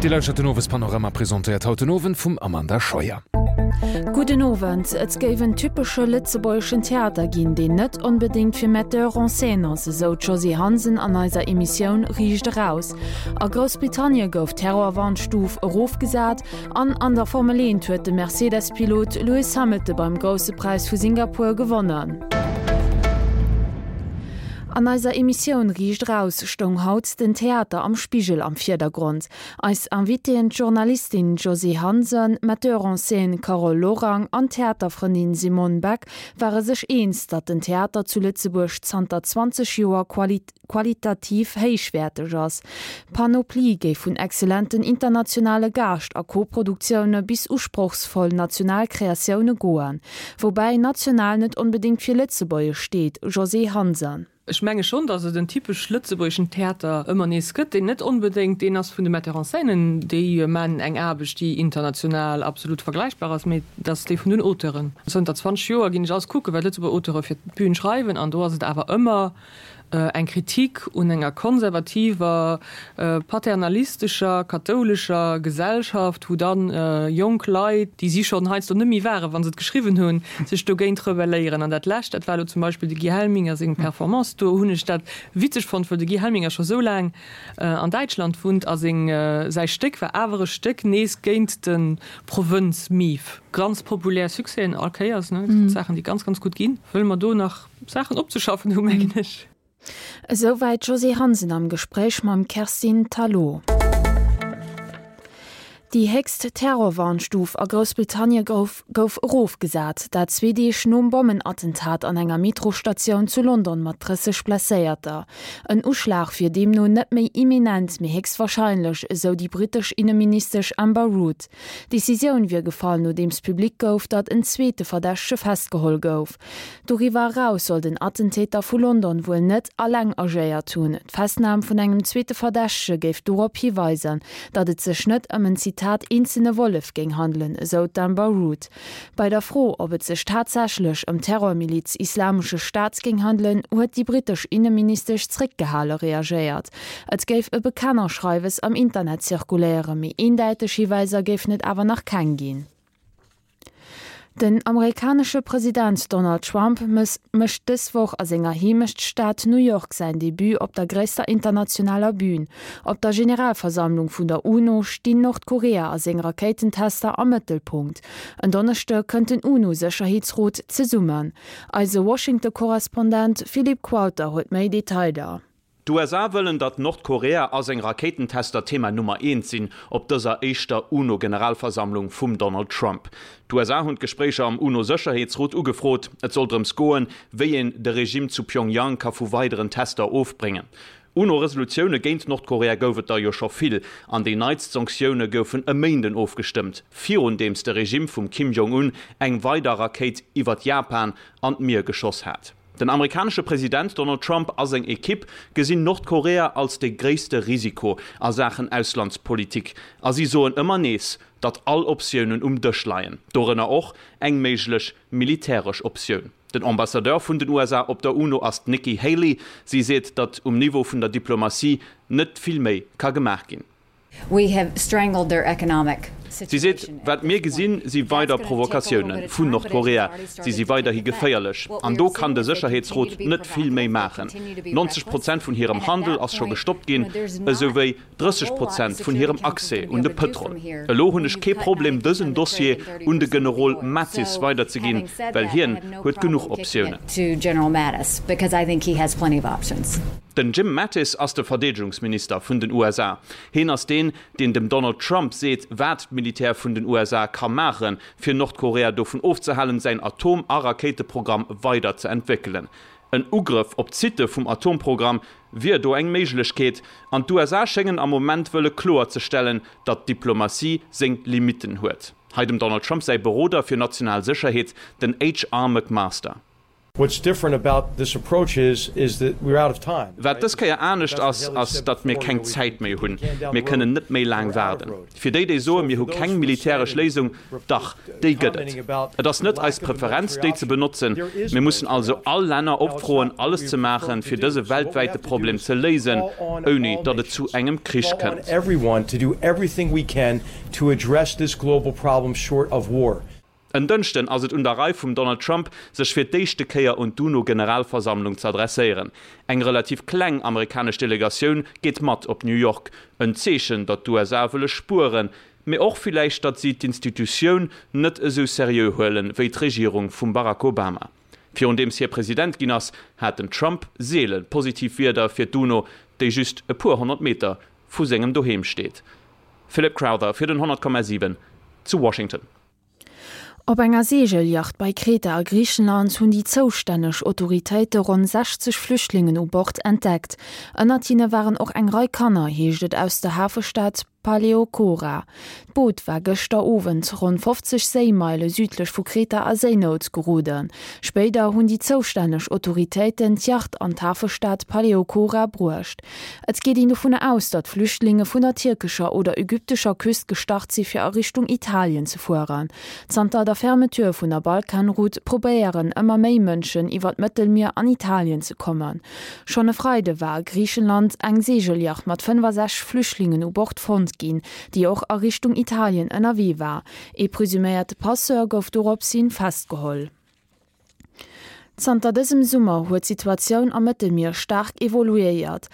Dir lauschtert den Owespanorama, presentéiert haut den Owend vum Amanda Scheuer. Gudden Owend. Et géif en typesche lëtzebuergeschen Theater ginn, deen net onbedéngt fir Metteur en scène ass, esou d'Josée Hansen an eiser Emissioun Riicht eraus. A Groussbritannie gouf d'Terrorwarnstuf erofgesat an an der Formel 1 huet de Mercedes-Pilot Lewis Hamilton beim Grousse Präis vu Singapur gewonnen. An eiser Emissioun Riicht Eraus stoung haut den Theater am Spigel am Virdergrond. Eis Invitéen, d'Journalistin Josée Hansen, d'Metteur en scène Carole Lorang an d'Theaterfrëndin Simone Beck ware sech eens, datt den Theater zu Lëtzebuerg zanter 20 Joer qualitativ héichwäerteg ass. D'Panoplie géif vun excellenten internationale Gaascht a Koproduktioune bis usprochsvoll national Kreatioune goen. Woubäi national net onbedéngt fir lëtzebuergesch steet, Josée Hansen. Ech menge schonn, datt et en typesch lëtzebuergeschen Theater ëmmer nees gëtt, deen net onbedéngt deen ass vun de Metteurs en scènen, déi man eng Aarbecht, déi international absolut vergläichbar ass, mee et ass dee vun den Auteuren. Zënter 20 Joer ginn ech alles kucken, wat Lëtzebuerger Auteure fir d'Bün schreiwen, an do ass et awer ëmmer eng Kritik un enger konservativer, paternalistescher, kathoulescher Gesellschaft, wou dann jonk Leit, déi si schonn heiansdo net méi waren, wa se et geschriwwen hunn, sech dogéint rebelléieren. An dat Lescht, dat war elo zum Beispill de Guy Helminger seng Performance. Do hunn ech dat witzeg fonnt, well de Guy Helminger scho sou laang an Däitschland wunnt a seng, säi Stéck war awer e Stéck nees géint de Provënz-Mief. Ganz populär Succèsen all Kéiers, ne, Saachen, déi ganz, ganz gutt ginn. Wëlle mer do nach Saachen opzeschaffen hu mengen ech. Esouwäit d'Josée Hansen am Gespréich mam Kerstin Thalau. Déi héchst Terrorwarnstuf a Groussbritannie gouf gouf erofgesat, dat zwee Deeg nom Bommenattentat an enger Metrostatioun zu London mat 30 Blesséierter. En Uschlag wier deemno net méi imminent, mee héchstwarscheinlech, esou déi brittesch Inneministesch Amber Rudd. D'Decisioun wier gefall, nodeems public gouf, datt en zweete Verdächtege festgeholl gouf. Doriwwer eraus soll den Attentäter vu London wuel net alleng agéiert hunn. D'Festnam vun engem zweete Verdächtege géif dorop hiweisen, datt et sech net ëm en Zitat eenzelne Wollef géing handelen, esou d'Amber Rudd. Bei der Fro, ob et sech tatsächlech ëm d'Terrormiliz Islamesche Staat géing handelen, huet déi brittesch Inneministesch zréckgehale reagéiert. Et géif e Bekennerschreiwes am Internet zirkuléieren, mee eendäiteg Hiweiser géifen et awer nach keng ginn. Den amerikanesche President Donald Trump mécht dës Woch a senger Heemechtsstad New York säin Debut op der gréisster internationaler Bün. Op der Generalversammlung vun der UNO stinn Nordkorea a seng Rakéitentester am Mëttelpunkt. En Donneschde kënnt den UNO-Sécherheetsrot zesummen. Eise Washington-Korrespondent Philippe Qualter huet méi Detailer. D'USA wëllen, datt Nordkorea a seng Rakéitentester Thema Nummer eent sinn op dëser éischter UNO-Generalversammlung vum Donald Trump. D'USA hunn d'Gespréicher am UNO-Sécherheetsrot ugefrot. Et soll drëms goen, wéi een de Regime zu Pyongyang ka vu weideren Tester ofbréngen. UNO-Resolutioune géint Nordkorea gouf et der jo scho vill, an déi neitst Sanktioune goufen e Méinden ofgestëmmt, virundeems de Regime vum Kim Jong-un eng weider Rakéit iwwert Japan an d'Mier geschoss hat. Den amerikanesche President Donald Trump a seng Ekipp gesinn Nordkorea als de gréisste Risiko a Saachen Auslandspolitik a si soen ëmmer nees, datt all Optiounen um Dësch leien, dorënner och eng méiglech militäresch Optioun. Den Ambassadeur vun den USA op der UNO ass d'Nikki Haley. Si seet, datt um Niveau vun der Diplomatie net vill méi ka gemaach ginn. Si seet, Wat mir gesinn, si weider Provokatioune vun Nordkorea. Si si weiderhi geféierlech. An do kann de Sécherheetsrot net vill méi maachen. 90 Prozent vun hirem Handel ass scho gestoppt ginn, esou wéi 30 Prozent vun hirem Accès un de Pëtrol. Elo hunn ech kee Problem, dësen Dossier un de Generol Mattis weiderzeginn, well hien huet genuch Optiounen. Den Jim Mattis ass de Verdeedegungsminister vun den USA. Heen ass deen, deen dem Donald Trump seet, wat d'Militär vun den USA ka maachen, fir Nordkorea dovun ofzehalen, säin Atom a Rakéiteprogramm weider ze entwéckelen. En Ugrëff op d'Sitte vum Atomprogramm wier do eng Méiglechkeet, an d'USA schéngen am Moment wëlle kloerzestellen, datt d'Diplomatie seng Limitten huet. Hei dem Donald Trump säi Beroder fir national Sécherheet, den HR. McMaster. What's different about this approach is, is that we're out of time. Wat dës Kéier anescht ass, ass, datt mir keng Zäit méi hunn. Mir kënnen net méi laang waarden. Fir déi, déi soen, mir hu keng militäresch Léisung, dach, déi gëtt et. Et ass net eis Preferenz, déi ze benotzen. Mir mussen also all Länner opfroen, alles ze maachen, fir dëse weltwäite Problem ze léisen, ouni datt et zu engem Krich kënnt. En Dënschden ass et un der Rei vum Donald Trump, sech fir d'éischte Kéier un d'UNO-Generalversammlung z'adresséieren. Eng relativ kleng amerikanesch Delegatioun geet mat op New York. En Zeechen, datt d'USA wëlle spueren, mee och villäicht, datt si d'Institutioun net esou seriö huelen, wéi d'Regierung vum Barack Obama. Virundeems hie President ginn ass, hat den Trump seele positiv Wierder fir d'UNO, déi just e puer 100 Meter vu sengem Doheem steet. Philip Crowther fir den 100,7 zu Washington. Op enger Seegelyacht bei Kreta a Griichenland hunn déi zoustänneg Autoritéite ronn 60 Flüchtlingen u Bord entdeckt. Ënnert hinne waren och eng Rei Kanner, heescht et aus der Hafestad Paleochora. D'Boot war gëschter Owend ronn 50 Séimeile südlech vu Kreta a Séinout geroden. Spéider hunn déi zoustänneg Autoritéiten d'Yacht an d'Hafestad Paleochora bruecht. Et geet een dovun aus, datt Flüchtlinge vun der tierkescher oder ägyptescher Küst gestart si fir a Richtung Italien ze fueren. Zanter der Fermeture vun der Balkanroute probéieren ëmmer méi Mënschen iwwer d'Mëttelmier an Italien ze kommen. Schonn e Freide war a Griichenland eng Seegelyacht mat 65 Flüchtlingen u Bord fonnt ginn, déi och a Richtung Italien ënnerwee war. Ee presuméierte Passeur gouf doropshin festgeholl. Zanter dësem Summer huet d'Situatioun am Mëttelmier staark evoluéiert.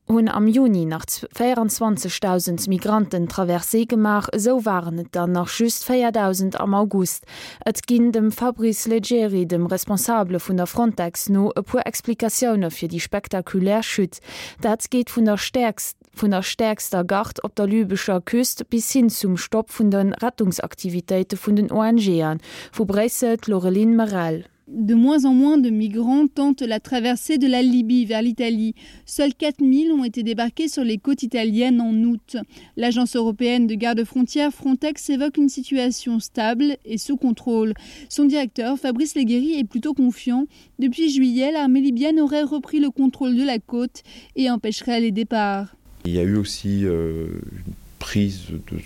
Hunn am Juni nach 24.000 Migranten d'Traversée gemaach, esou waren et der nach just 4.000 am August. Et ginn dem Fabrice Leggeri, dem Responsabele vun der Frontex no, e puer Explikatioune fir déi spektakulär Chute. Dat geet vun der stäerkst. Vun der stäerkster Gard op der lybescher Küst bis hin zum Stopp vun de Rettungsaktivitéite vun den ONGen. Vu Bréissel d'Laureline Merel. De moins en moins de migrants tentent la traversée de la Libye vers l'Italie. Seuls 4000 ont été débarqués sur les côtes italiennes en août. L'agence européenne de garde-frontières Frontex évoque une situation stable et sous contrôle. Son directeur Fabrice Leguéry est plutôt confiant. Depuis juillet, l'armée libyenne aurait repris le contrôle de la côte et empêcherait les départs. Il y a eu aussi euh, une prise de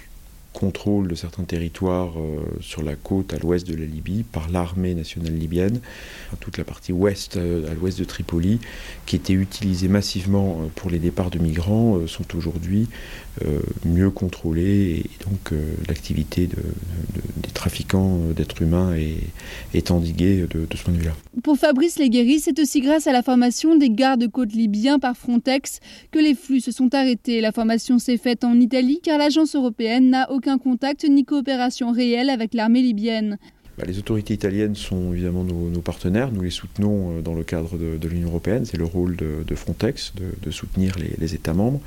contrôle de certains territoires euh, sur la côte à l'ouest de la Libye par l'armée nationale libyenne, toute la partie ouest euh, à l'ouest de Tripoli, qui était utilisée massivement euh, pour les départs de migrants, euh, sont aujourd'hui euh, mieux contrôlées et donc euh, l'activité de, de, des trafiquants euh, d'êtres humains est, est endiguée de, de ce point de vue-là. Pour Fabrice Leguéry, c'est aussi grâce à la formation des gardes-côtes libyens par Frontex que les flux se sont arrêtés. La formation s'est faite en Italie car l'agence européenne n'a aucun contact ni coopération réelle avec l'armée libyenne. Bah, les autorités italiennes sont évidemment nos, nos partenaires, nous les soutenons euh, dans le cadre de, de l'Union européenne, c'est le rôle de, de Frontex de, de soutenir les, les États membres.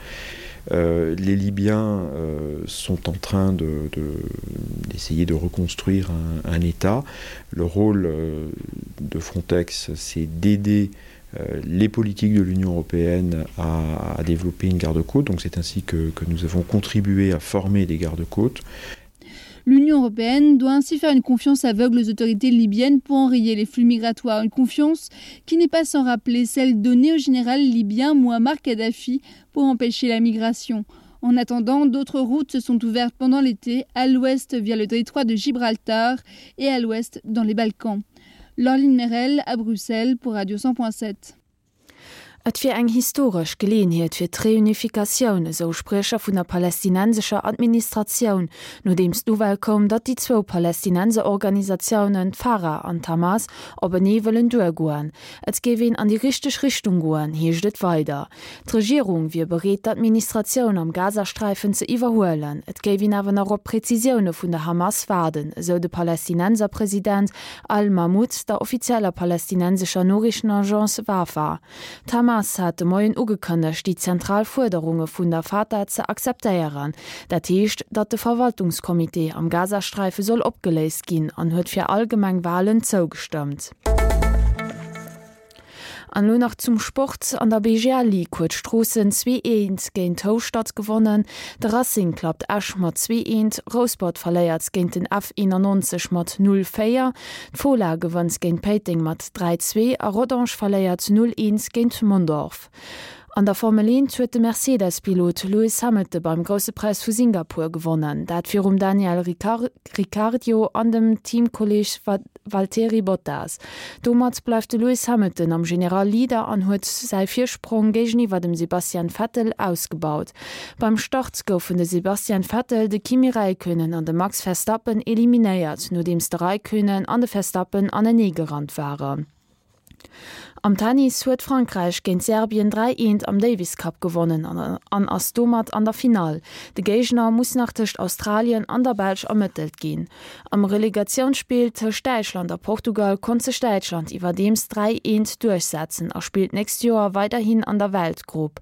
Euh, les Libyens euh, sont en train d'essayer de, de, de reconstruire un, un État. Le rôle euh, de Frontex, c'est d'aider euh, les politiques de l'Union européenne à, à développer une garde-côte. Donc c'est ainsi que, que nous avons contribué à former des gardes-côtes. L'Union européenne doit ainsi faire une confiance aveugle aux autorités libyennes pour enrayer les flux migratoires, une confiance qui n'est pas sans rappeler celle donnée au général libyen Muammar Kadhafi pour empêcher la migration. En attendant, d'autres routes se sont ouvertes pendant l'été, à l'ouest via le détroit de Gibraltar et à l'ouest dans les Balkans. Lorline Merel à Bruxelles pour Radio 100.7. Et wier eng historesch Geleeënheet fir d'Reunifikatioun, esou Spriecher vun der palästinensescher Administratioun, nodeems d'Nouvelle koum, datt déi zwou Palästinenserorganisatiounen, d'Farah an d'Hamas, openee wëllen duergoen. Et géif een an déi richteg Richtung goen, heescht et weider. D'Regierung wier bereet, d'Administratioun am Gazasträifen ze iwwerhuelen. Et géif een awer nach op Prezisioune vun der Hamas waarden, esou de Palästinenserpresident Al-Mahmoud der offizieller palästinensescher Noriichtenagence Wafa. D'Hamas hat de Moien ugekënnegt, déi zentral Fuerderunge vun der Fatah ze akzeptéieren. Dat heescht, datt de Verwaltungscomité am Gazasträife soll opgeléist ginn an huet fir allgemeng Walen zougestëmmt. An elo nach zum Sport, An der BGL Ligue huet Stroossen 2, 1 géint Houschtert gewonnen. De Racing klappt Esch mat 2, 1, Rouspert verléiert géint den F 91 mat 0, 4, d'Fola gewënnt géint Péiteng mat 3, 2 a Rodange verléiert 0, 1 géint Mondorf. An der Formel 1 huet de Mercedes-Pilot Lewis Hamilton beim Grousse Präis vu Singapur gewonnen, dat virum Daniel Ricciardo an dem Teamkolleeg Valtteri Bottas. Domat bleift de Lewis Hamilton am General Leader an huet säi Virsprong géigeniwwer dem Sebastian Vettel ausgebaut. Beim Start goufen de Sebastian Vettel, de Kimi Räikkönen an de Max Verstappen eliminéiert, nodeems de Räikkönen an de Verstappen aneneegerannt waren. Am Tennis huet Frankräich géint Serbien 3, 1 am Davis Cup gewonnen an ass domat an der Finall. De Géigner muss nach tëscht Australien an der Belsch ermëttelt ginn. Am Relegatiounsspill tëscht Däitschland a Portugal konnt sech Däitschland iwwerdeems 3, 1 duerchsetzen a spillt d'nächst Joer weiderhin an der Weltgrupp.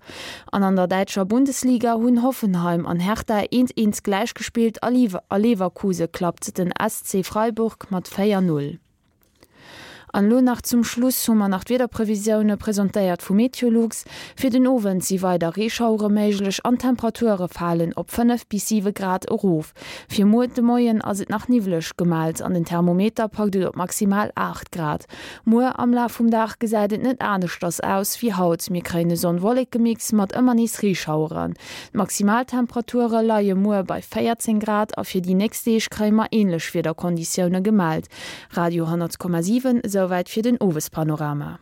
An an der däitscher Bundesliga hunn Hoffenheim an Hertha 1, 1 gläichgespillt a Leverkuse klappt den SC Freiburg mat 4, 0. An elo nach zum Schluss hu mer nach d'Wiederprevisioune presentéiert vu Meteolux. Fir den Owend si weider Reeschauere méiglech an d'Temperature falen op 5 bis 7 Grad erof. Fir muer de Moien ass et nach niwwleg gemellt an den Thermometer packt et op maximal 8 Grad. Muer am Laf vum Dag gesäit et net aneschters aus wéi haut, mir kréien e Sonn-Wolleke-Mix mat ëmmer nees Reeschaueren. D'Maximaltemperature leie muer bei 14 Grad a fir déi nächst Deeg kréie mer änlech Wiederkonditioune gemellt. Radio 10,7, Esouwäit fir den Owespanorama.